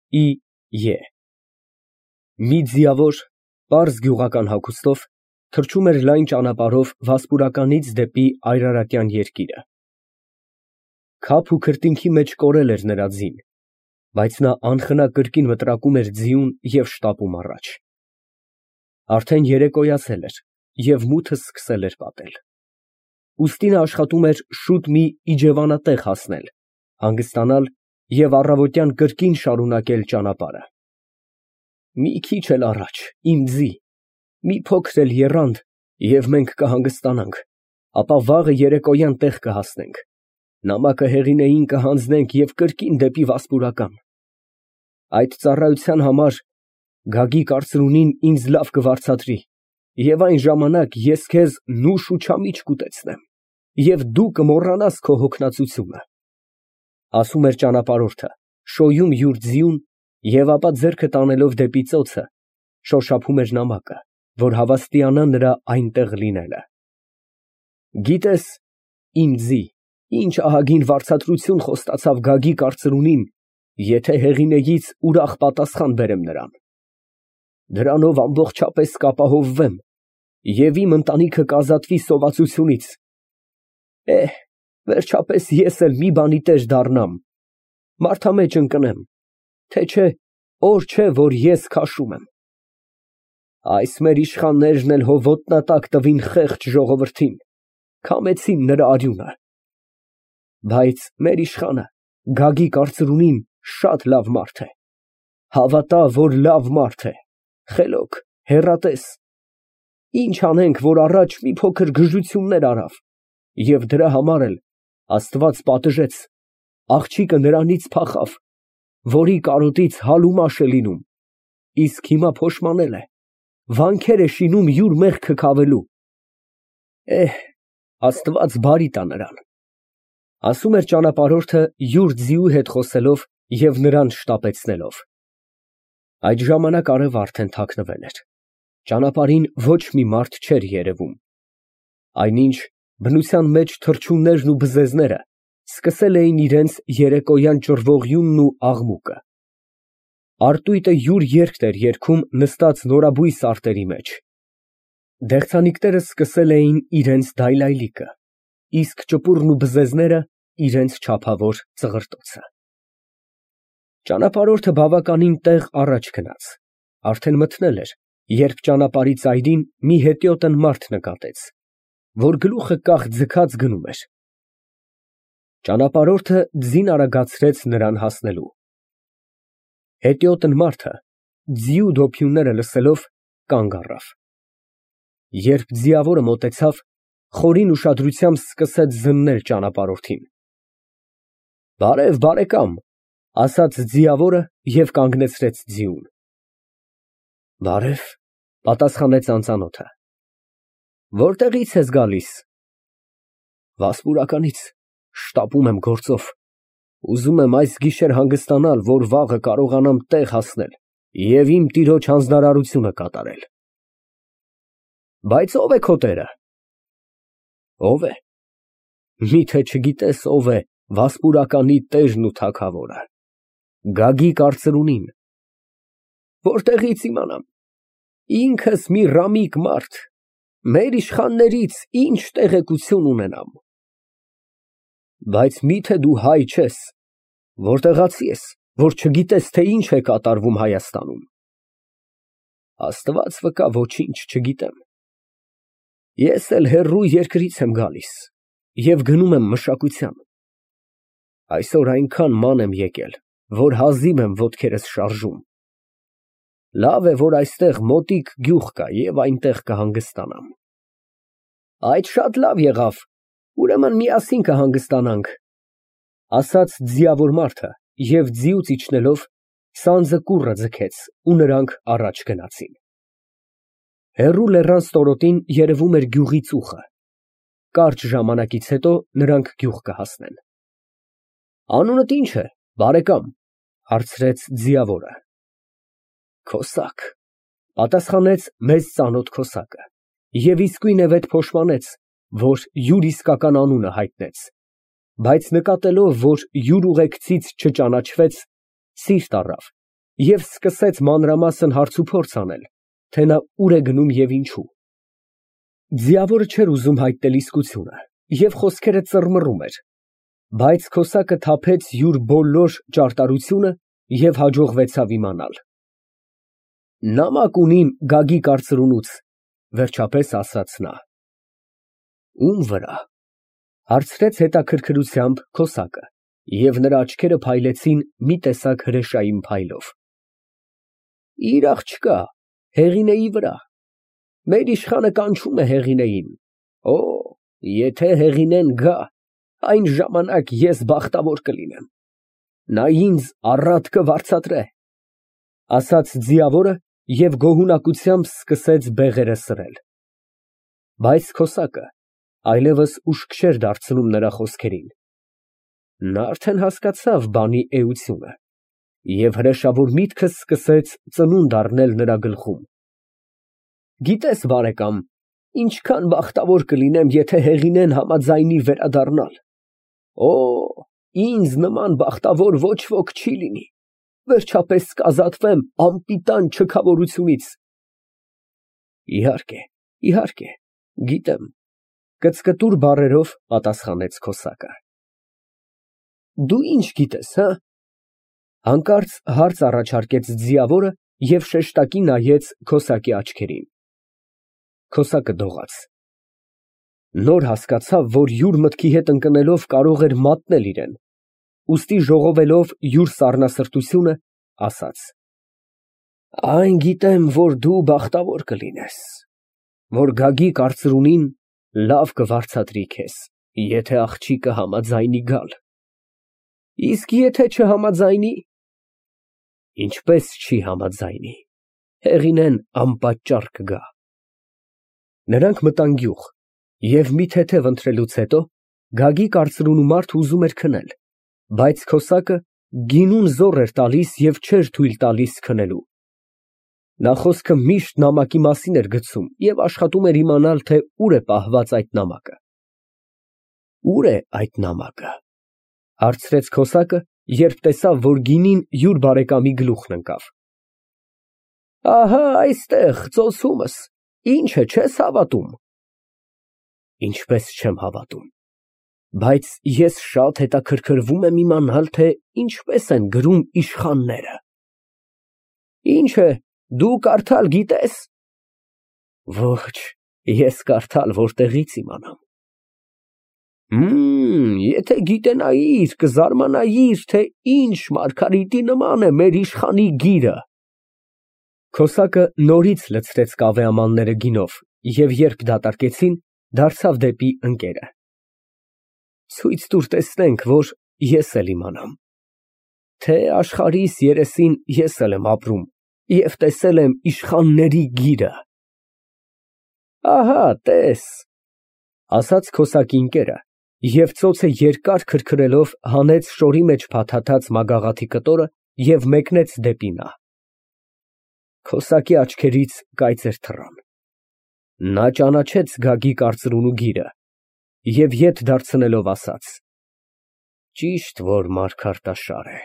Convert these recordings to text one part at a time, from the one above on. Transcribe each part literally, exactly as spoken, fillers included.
Է Մի ձիավոր, պարզ գյուղական հագուստով թռչում էր լայն ճանապարհով Վասպուրականից դեպի Այրարատյան երկիրը։ Քափ ու քրտինքի մեջ կորել էր նրա ձին, բայց նա անխնա կրկին մտրակում էր ձիուն և շտապում առաջ։ Արդեն երեկոյացել էր և մութը սկսել էր պատել։ Ուստի նա աշխատում էր շուտ մի իջևանատեղ հասնել, հանգստանալ և առավոտյան կրկին շարունակել ճանապարհը։ Մի քիչ էլ առաջ, իմ ձի, մի փոքր էլ եռանդ, և մենք կհանգստանանք, ապա վաղը երեկոյան տեղ կհասնենք, նամակը հեղինեին կհանձնենք և կրկին դեպի Վասպուրական։ Այդ ծառայության համար Գագիկ արծրունին ինձ լավ կվարձատրի, և այն ժամանակ ես քեզ նուշ ու չամիչ կուտեցնեմ, և դու կմոռանաս քո հոգնածությունը, ֊ ասում էր ճանապարհորդը, շոյում յուր ձիուն և ապա ձեռքը տանելով դեպի ծոցը, շոշափում էր նամակը, որ հավաստիանա նրա այնտեղ լինելը։ Գիտե՞ս, իմ ձի, ինչ ահագին վարձատրություն խոստացավ Գագիկ արծրունին, եթե հեղինեից ուրախ պատասխան բերեմ նրան։ Դրանով ամբողջապես կապահովվեմ և իմ ընտանիքը կազատվի սովածությունից։ Էհ, վերջապես ես էլ մի բանի տեր դառնամ, մարդամեջ ընկնեմ, թե չէ օր չէ, որ ես քաշում եմ։ Այս մեր իշխաններն էլ հո ոտնատակ տվին խեղճ ժողովրդին, քամեցին նրա արյունը։ Բայց մեր իշխանը, Գագիկ արծրունին, շատ լավ մարդ է, հավատա, որ լավ մարդ է, խելոք, հեռատես։ Ինչ անենք, որ առաջ մի փոքր գժություններ արավ, և դրա համար էլ Աստված պատժեց, աղջիկը նրանից փախավ, որի կարոտից հալ ու մաշ է լինում, իսկ հիմա փոշմանել է, վանքեր է շինում յուր մեղքը քավելու։ Էհ, Աստված բարի տա նրան, ֊ ասում էր ճանապարհորդը յուր ձիու հետ խոսելով և նրան շտապեցնելով։ Այդ ժամանակ արևը արդեն թաքնվել էր, ճանապարհին ոչ մի մարդ չէր երևում, այնինչ բնության մեջ թռչուններն ու բզեզները սկսել էին իրենց երեկոյան ճռվողյունն ու աղմուկը։ Արտույտը յուր երգն էր երգում նստած նորաբույս արտերի մեջ։ Դեղցանիկները սկսել էին իրենց դայլայլիկը, իսկ ճպուռն ու բզեզները իրենց չափավոր ծղրտոցը։ Ճանապարհորդը բավականին տեղ առաջ գնաց, արդեն մթնել էր, երբ ճանապարհի ծայրին մի հետիոտն մարդ նկատեց, որ գլուխը կախ ձգած գնում էր։ Ճանապարհորդը ձին արագացրեց նրան հասնելու։ Հետիոտն մարդը, ձիու դոփյունները լսելով, կանգ առավ։ Երբ ձիավորը մոտեցավ, խորին ուշադրությամբ սկսեց զննել ճանապարհորդին։ Բարև, բարեկամ, ֊ ասաց ձիավորը և կանգնեցրեց ձիուն։ Բարև, ֊ պատասխանեց անծանոթը։ Որտեղի՞ց ես գալիս։ Վասպուրականից, շտապում եմ գործով, ուզում եմ այս գիշեր հանգստանալ, որ վաղը կարողանամ տեղ հասնել և իմ տիրոջ հանձնարարությունը կատարել։ Բայց ո՞վ է քո տերը։ Ո՞վ է։ Մի՞թե չգիտես ով է Վասպուրականի տերն ու թագավորը։ Գագիկ արծրունին։ Որտեղի՞ց իմանամ, ինքս մի ռամիկ մարդ, մեր իշխաններից ի՞նչ տեղեկություն ունենամ։ Բայց մի՞թե դու հայ չես, որտեղացի ես, որ չգիտես, թե ինչ է կատարվում Հայաստանում։ Աստված վկա, ոչինչ չգիտեմ։ Ես էլ հեռու երկրից եմ գալիս և գնում եմ մշակության։ Այսօր այնքան ման եմ եկել, որ հազիվ եմ ոտքերս շարժում։ Լավ է, որ այստեղ մոտիկ գյուղ կա և այնտեղ կհանգստանամ։ Այդ շատ լավ եղավ, ուրեմն միասին կհանգստանանք, ֊ ասաց ձիավոր մարդը և ձիուց իջնելով սանձը կուռը ձգեց ու նրանք առաջ գնացին։ Հեռու լեռան ստորոտին երևում էր գյուղի ծուխը։ Կարճ ժամանակից հետո նրանք գյուղ կհասնեն։ Անունդ ի՞նչ է, բարեկամ, ֊ հարցրեց ձիավորը։ Քոսակ, ֊ պատասխանեց մեզ ծանոթ քոսակը և իսկույնևեթ փոշմանեց, որ յուր իսկական անունը հայտնեց, բայց նկատելով, որ յուր ուղեկցից չճանաչվեց, սիրտ առավ և սկսեց մանրամասն հարցուփորձ անել, թե նա ուր է գնում և ինչու։ Ձիավորը չէր ուզում հայտնել իսկությունը և խոսքերը ծռմռում էր, բայց քոսակը թափեց յուր բոլոր ճարտարությունը և հաջողվեցավ իմանալ։ «Նամակ ունիմ Գագիկ արծրունուց», վերջապես ասաց նա։ «Ո՞ւմ վրա» հարցրեց հետաքրքրությամբ քոսակը, և նրա աչքերը փայլեցին մի տեսակ հրեշային փայլով։ «Իր աղջկա Հեղինեի վրա։ Մեր իշխանը կանչում է Հեղինեին։ Օ, եթե Հեղինեն գա, այն ժամանակ ես բախտավոր կլինեմ, նա ինձ առատ կվարձատրե», ասաց ձիավորը և գոհունակությամբ սկսեց բեղերը սրել։ Բայց քոսակը այլևս ուշք չէր դարձնում նրա խոսքերին։ Նա արդեն հասկացավ բանի էությունը, և հրեշավոր միտքը սկսեց ծնունդ առնել նրա գլխում։ «Գիտես, բարեկամ, ինչքան բախտավոր կլինեմ, եթե Հեղինեն համաձայնի վերադառնալ։ Օ, ինձ նման բախտավոր ոչ ոք չի լինի, վերջապես կազատվեմ անպիտան չքավորությունից»։ «Իհարկե, իհարկե, գիտեմ», կծկտուր բառերով պատասխանեց քոսակը։ «Դու ի՞նչ գիտես, հը»։ Հանկարծ հարց առաջարկեց ձիավորը և շեշտակի նայեց քոսակի աչքերին։ Քոսակը դողաց։ Նոր հասկացավ, որ յուր մտքի հետ ընկնելով կարող էր մատնել իրեն, ուստի ժողովելով յուր սառնասրտությունը, ասաց. «Այն գիտեմ, որ դու բախտավոր կլինես, որ Գագիկ արծրունին լավ կվարձատրի քեզ, եթե աղջիկը համաձայնի գալ։ Իսկ եթե չհամաձայնի։ Ինչպես չի համաձայնի, Հեղինեն անպատճառ կգա»։ Նրանք մտան գյուղ, և մի թեթև ընթրելուց հետո Գագիկ արծրունու մարդը ուզում էր քնել, բայց քոսակը գինուն զոռ էր տալիս և չէր թույլ տալիս քնելու։ Նա խոսքը միշտ նամակի մասին էր գցում և աշխատում էր իմանալ, թե ուր է պահված այդ նամակը։ «Ո՞ւր է այդ նամակը», հարցրեց քոսակը, երբ տեսավ, որ գինին յուր բարեկամի գլուխն ընկավ։ «Ահա այստեղ, ծոցումս, ինչ է, չես հավատում»։ «Ինչպես չեմ հավատում, բայց ես շատ հետաքրքրվում եմ իմանալ, թե ինչպես են գրում իշխանները»։ «Ինչ է, դու կարդալ գիտես»։ «Ոչ, ես կարդալ որտեղից իմանամ»։ «Հըմ, եթե գիտենայիր, կզարմանայիր, թե ինչ մարգարիտի նման է մեր իշխանի գիրը»։ Քոսակը նորից լցրեց կավե ամանները գինով և երբ դատարկեցին, դարձավ դեպի ընկերը։ «Ցույց տուր տեսնենք, որ ես էլ իմանամ, թե աշխարհիս երեսին ես էլ եմ ապրում և տեսել եմ իշխանների գիրը»։ «Ահա տես», ասաց քոսակի ընկերը և ծոցը երկար քրքրելով հանեց շորի մեջ փաթաթած մագաղաթի կտորը և մեկնեց դեպի նա։ Քոսակի աչքերից կայծեր թռան։ Նա ճանաչեց Գագիկ արծրունու գիրը և ետ դարձնելով ասաց. «Ճիշտ որ մարգարտաշար է»։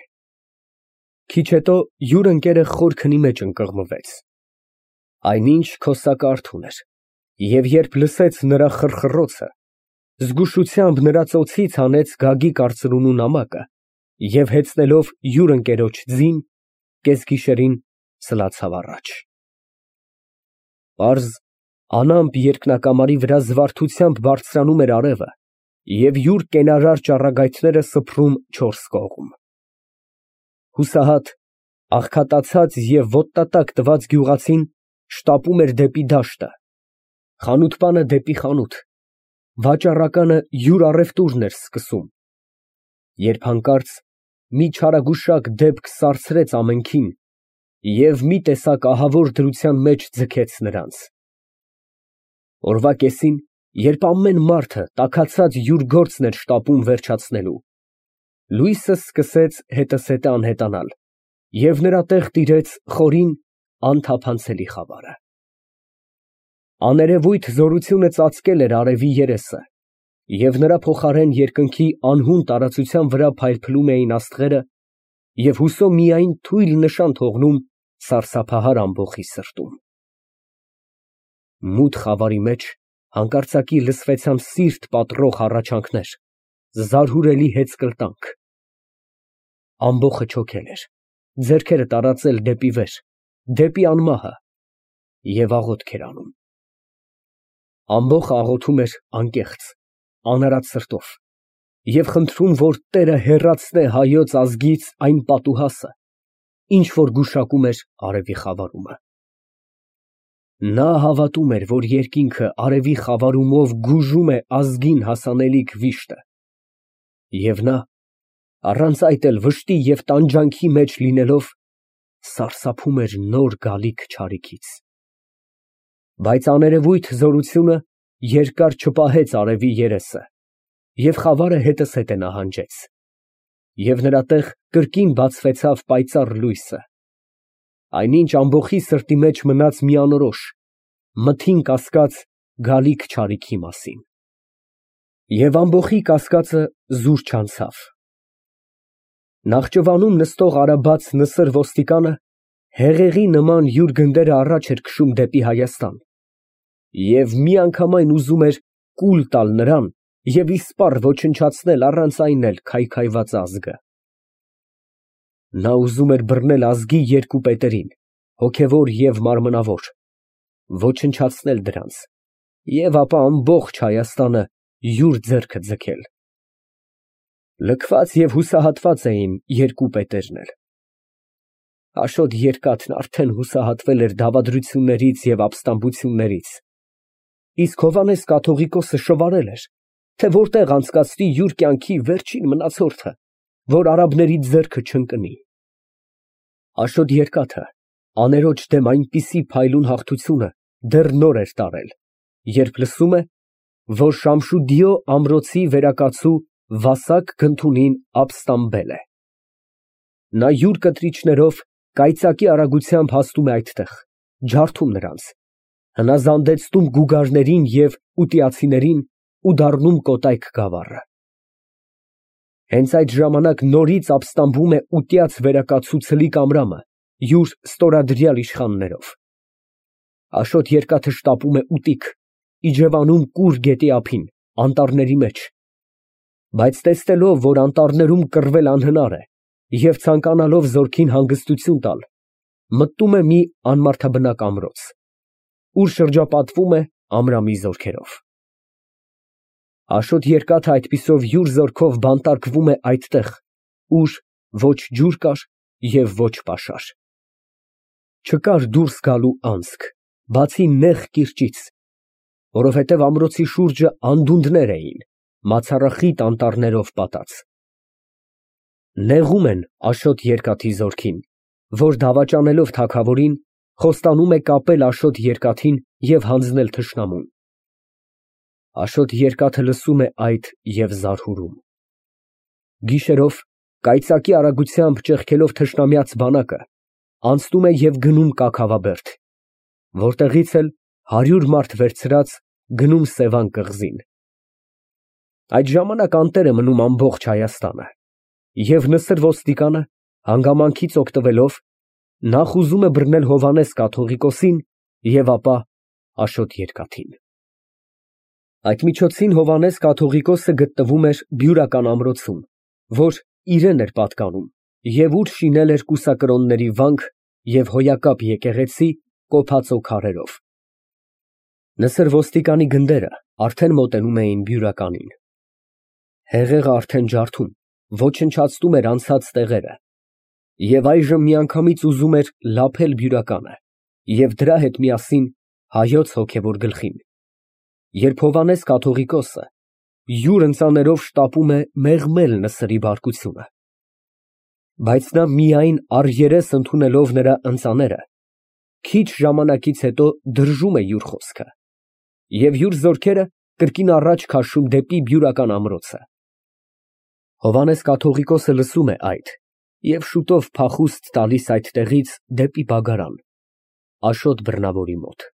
Քիչ հետո յուր ընկերը խոր քնի մեջ ընկղմվեց։ Այնինչ քոսակը արթուն էր, և երբ լսեց նրա խռխռոցը, զգուշությամբ նրա ծոցից հանեց Գագիկ արծրունու նամակը և հեծնելով յուր ընկերոջ ձին, կեսգիշերին սլացավ առաջ։ Պարզ, անամպ երկնակամարի վրա զվարթությամբ բարձրանում էր արևը և յուր կենարար ճառագայթները սփռում չորս կողմ։ Հուսահատ, աղքատացած և ոտնատակ տված գյուղացին շտապում էր դեպի դաշտը, խանութպանը դեպի խանութ, վաճառականը յուր առևտուրն էր սկսում, երբ հանկարծ մի չարագուշակ դեպք սառցրեց ամենքին և մի տեսակ ահավոր դրության մեջ ձգեց նրանց։ Օրվա կեսին, երբ ամեն մարդը տաքացած յուր գործն էր շտապում վերջացնելու, լույսը սկսեց հետզհետե անհետանալ և նրա տեղ տիրեց խորին, անթափանցելի խավարը։ Աներևույթ զորությունը ծածկել էր արևի երեսը, և նրա փոխարեն երկնքի անհուն տարածության վրա փայլփլում էին աստղերը, և հուսո միայն թույլ նշան թողնում սարսափահար ամբոխի սրտում։ Մութ խավարի մեջ հանկարծակի լսվեցան սիրտ պատռող հառաչանքներ, զարհուրելի հեծկլտանք։ Ամբոխը չոքել էր, ձեռքերը տարածել դեպի վեր, դեպի անմահը, և աղոթք էր անում։ Ամբոխը աղոթում էր անկեղծ, անարատ սրտով և խնդրում, որ Տերը հեռացնե հայոց ազգից այն պատուհասը, ինչ որ գուշակում էր արևի խավարումը։ Նա հավատում էր, որ երկինքը արևի խավարումով գուժում է ազգին հասանելիք վիշտը, և նա, առանց այդ էլ վշտի և տանջանքի մեջ լինելով, սարսափում էր նոր գալիք չարիքից։ Բայց աներևույթ զորությունը երկար չպահեց արևի երեսը, և խավարը հետզհետե նահանջեց, և նրա տեղ կրկին բացվեցավ պայծառ լույսը, այնինչ ամբոխի սրտի մեջ մնաց միանորոշ, մթին կասկած գալիք չարիքի մասին։ Եվ ամբոխի կասկածը զուր չանցավ։ Նախճվանում նստող արաբաց նսր ոստիկանը հեղեղի նման յուր գնդերը առաջ էր քշում դեպի Հայաստան և միանգամայն ուզում էր կուլ տալ նրան և իսպառ ոչնչացնել առանց այն էլ քայքայված ազգը։ Նա ուզում էր բռնել ազգի երկու պետերին, հոգևոր և մարմնավոր, ոչնչացնել դրանց և ապա ամբողջ Հայաստանը յուր ձեռքը ձգել։ Լքված և հուսահատված էին երկու պետերն էլ։ Աշոտ երկաթն արդեն հուսահատվել էր դավադրություններից և ապստամբություններից, իսկ Հովհաննես կաթողիկոսը շվարել էր, թե որտեղ անցկացնի յուր կյանքի վերջին մնացորդը, որ արաբների ձեռքը չընկնի։ Աշոտ երկաթը աներոջ դեմ այնպիսի փայլուն հաղթությունը դեռ նոր էր տարել, երբ լսում է, որ Շամշուդիո ամրոցի վերակացու Վասակ Գնթունին ապստամբել է։ Նա յուր կտրիչներով կայծակի արագությամբ հասնում է այդտեղ, ջարդում նրանց, հնազանդեցնում գուգարներին և ուտիացիներին ու դառնում կոտայք գավառը։ Հենց այդ ժամանակ նորից ապստամբում է ուտյաց վերակացու Ցլիկ Ամրամը յուր ստորադրյալ իշխաններով։ Աշոտ երկաթը շտապում է ուտիկ, իջևանում Կուր գետի ափին, անտառների մեջ, բայց տեսնելով, որ անտառներում կռվել անհնար է և ցանկանալով զորքին հանգստություն տալ, մտնում է մի անմարդաբնակ ամրոց, ուր շրջապատվում է Ամրամի զորքերով։ Աշոտ երկաթը այդպիսով յուր զորքով բանտարկվում է այնտեղ, ուր ոչ ջուր կար և ոչ պաշար։ Չկար դուրս գալու անցք, բացի նեղ կիրճից, որովհետև ամրոցի շուրջը անդունդներ էին, մացառախիտ անտառներով պատած։ Նեղում են Աշոտ երկաթի զորքին, որ դավաճանելով թագավորին, խոստանում է կապել Աշոտ երկաթին և հանձնել թշնամուն։ Աշոտ երկաթը լսում է այդ և զարհուրում։ Գիշերով, կայծակի արագությամբ ճեղքելով թշնամյաց բանակը, անցնում է և գնում Կաքավաբերդ, որտեղից էլ հարյուր մարդ վերցրած գնում Սևան կղզին։ Այդ ժամանակ անտեր է մնում ամբողջ Հայաստանը, և նսր ոստիկանը, հանգամանքից օգտվելով, նախ ուզում է բռնել Հովհաննես կաթողիկոսին և ապա Աշոտ երկաթին։ Այդ միջոցին Հովհաննես կաթողիկոսը գտնվում էր Բյուրական ամրոցում, որ իրան էր պատկանում և ուր շինել էր կուսակրոնների վանք և հոյակապ եկեղեցի կոփածո քարերով։ Նսր ոստիկանի գնդերը արդեն մոտենում էին Բյուրականին։ Հեղեղը արդեն ջարդում, ոչնչացնում էր անցած տեղերը և այժմ միանգամից ուզում էր լափել Բյուրականը և դրա հետ միասին հայոց հոգևոր գլխին, երբ Հովհաննես կաթողիկոսը յուր ընծաներով շտապում է մեղմել նսրի բարկությունը։ Բայց նա միայն առերես ընդունելով նրա ընծաները, քիչ ժամանակից հետո դրժում է յուր խոսքը և յուր զորքերը կրկին առաջ քաշում դեպի Բյուրական ամրոցը։ Հովհաննես կաթողիկոսը լսում է այդ և շուտով փախուստ տալիս այդտեղից դեպի Բագարան, Աշոտ բռնավորի մոտ։